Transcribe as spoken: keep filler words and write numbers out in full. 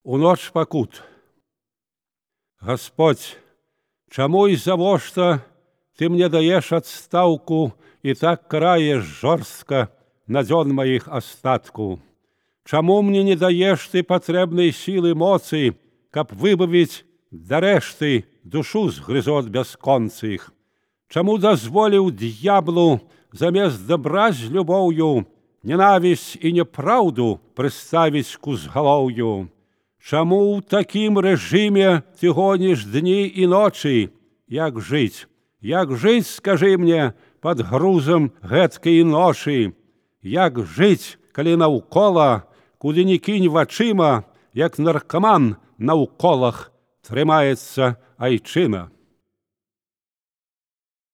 У ноч пакут. Господь, чаму і завошта ты мне даеш адстаўку і так караеш жорстка на дзён маіх астатку? Чаму мне не даеш ты патрэбнай сілы моцы, каб выбавіць дарэшты душу з грызот бясконцых? Чаму дазволіў д'яблу замест дабра з любоўю ненавісць і няпраўду прыставіць к узгалоўю? Чаму ў такім рэжыме ты гоніш дні і ночы? Як жыць? Як жыць, скажы мне, пад грузам гэткай ночы? Як жыць, калі наўкола, куды ні кінь вачыма, як наркаман на ўколах трымаецца айчына?